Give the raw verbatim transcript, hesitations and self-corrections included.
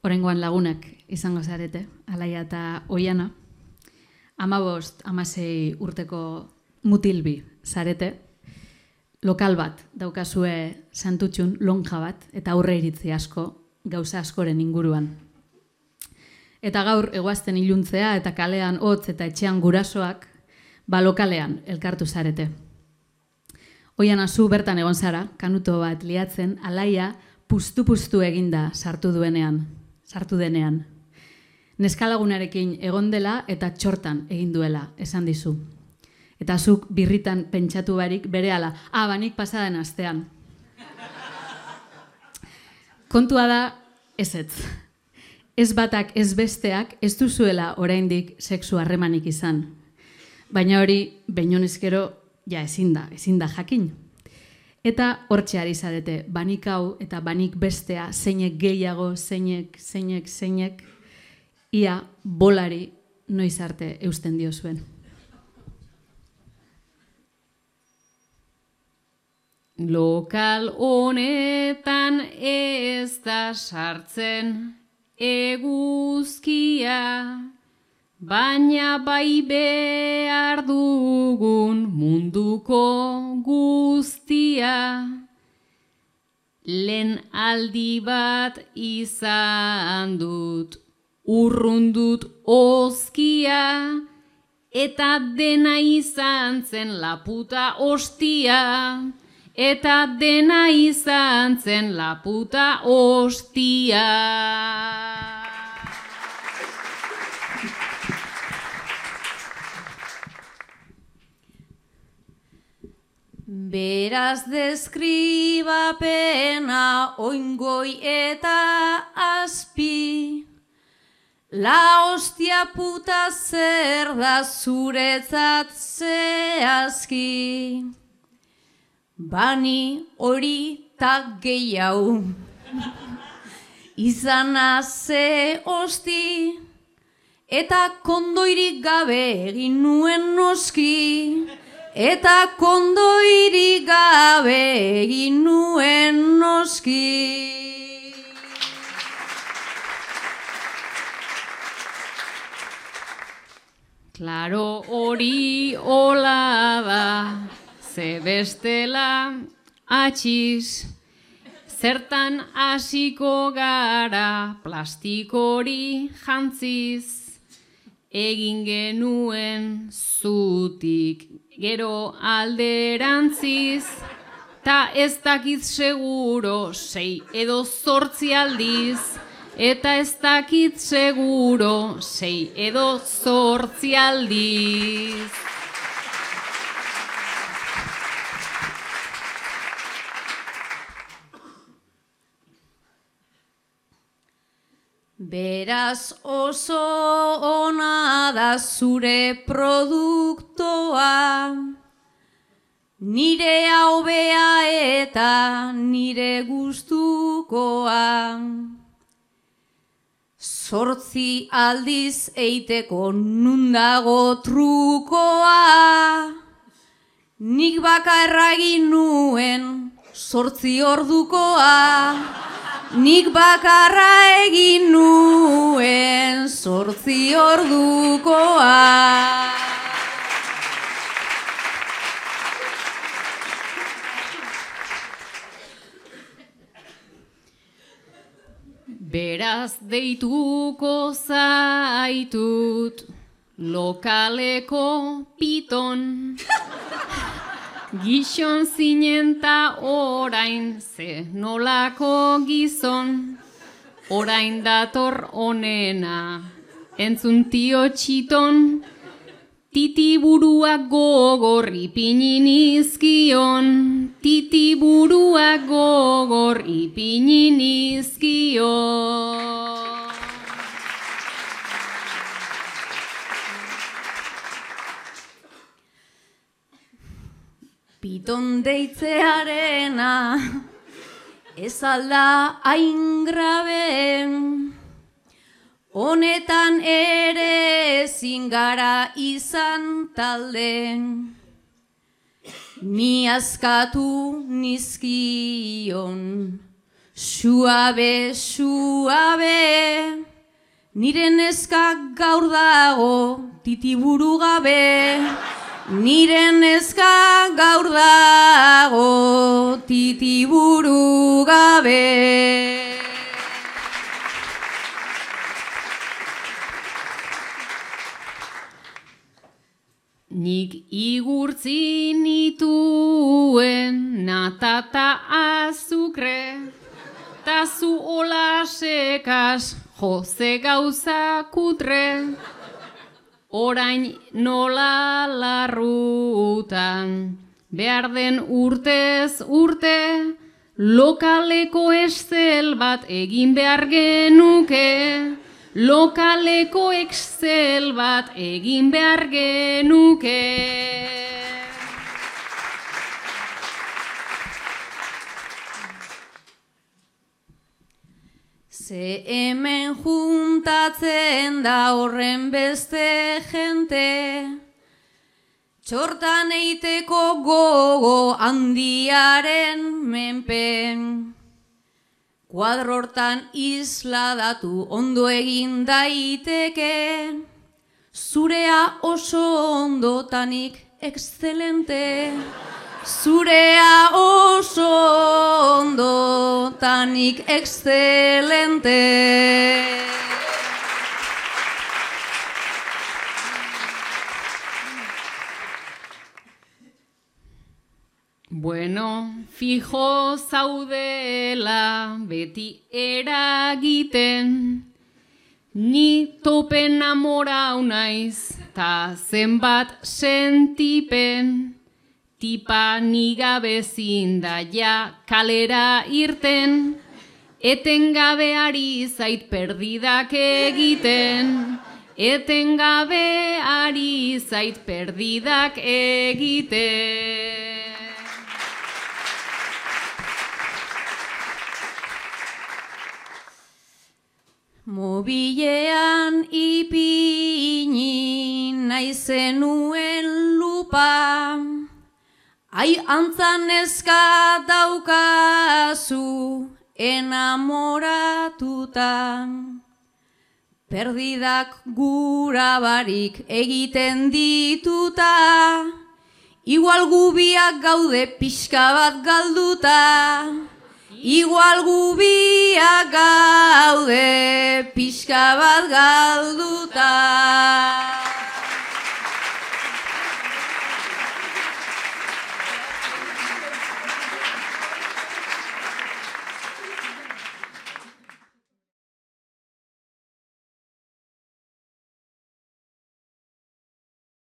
Oraingoan lagunak izango zarete, Alaia eta Oiana. Hamabost, hamasei urteko mutilbi zarete. Lokal bat daukazue Santutxun, lonja bat, eta aurre iritzi asko, gauza askoren inguruan. Eta gaur egoazten iluntzea eta kalean hotz eta etxean gurasoak, ba lokalean elkartu zarete. Oiana, zu bertan egon zara, kanuto bat liatzen, Alaia puztu-puztu eginda sartu duenean, sartu denean. Neskalagunarekin egon dela eta txortan egin duela, esan dizu. Eta zuk birritan pentsatu barik berehala, ah, banik pasaden astean. Kontua da, ezetz. Ez batak ez besteak ez duzuela oraindik sexu harremanik izan. Baina hori, behinonezkero, ja ezin da, ezin da jakin. Eta hortxe ari zarete, banik hau eta banik bestea, zeinek gehiago, zeinek, zeinek, zeinek, ia bolari noiz arte eusten diozuen. Lokal honetan ez da sartzen eguzkia, baina bai behar dugun munduko guztia. Lehen aldi bat izan dut, urrundut ozkia, eta dena izan zen la puta ostia. Eta dena izan zen la puta ostia. Beraz deskribapena oingoi eta azpi, la ostia puta zer da zuretzat zehazki. Bani hori ta gehiago, izana ze osti, eta kondoirik gabe egin nuen noski, eta kondoirik gabe egin nuen noski. Klaro hori hola da, ze bestela atxiz, zertan hasiko gara plastikori jantziz, egin genuen zutik gero alderantziz, ta ez dakit seguro sei edo zortzi aldiz, eta ez dakit seguro sei edo zortzi aldiz. Beraz oso ona da zure produktoa, nire hobea eta nire gustukoa. Zortzi aldiz eiteko nundago trukoa, nik bakarra egin nuen zortzi ordukoa. Nik bakarra egin nuen zortzi ordukoa. Beraz deituko zaitut lokaleko piton, gizon zinen ta orain ze nolako gizon, orain dator onena, entzun tio txiton, titiburuak gogor ipini nizkion, titiburuak gogor ipini nizkion. Piton deitzearena ez alda hain grabe, honetan ere ezin gara izan talde. Ni askatu nizkion Suabe, suabe, nire neska gaur dago titiburu gabe. Nire neska gaur dago titiburu gabe. Nik igurtzi nituen natata azukre, ta zu hola sekas jose gauza kutre, orain nola larrutan, behar den urtez urte, lokaleko estel bat egin behar genuke, lokaleko Excel bat egin behar genuke. Ze hemen juntatzen da horren beste jente, txortan eiteko gogo handiaren menpen. Kuadro hortan isladatu ondo egin daiteke, zurea oso ondotanik excelente. Zurea oso ondotanik excelente. Bueno, fijo zaudela beti eragiten, ni tope namorau naiz, ta zenbat sentipen, tipa nigabe zinda ja kalera irten, etengabe ari zait perdidak egiten, etengabe ari zait perdidak egiten. Mobilean ipini naizenuen lupa, ai antzan neska daukazu enamoratuta. Perdidak gura barik egiten dituta, igual gubiak gaude pixka bat galduta. Igual gubiak gaude pixka bat galduta.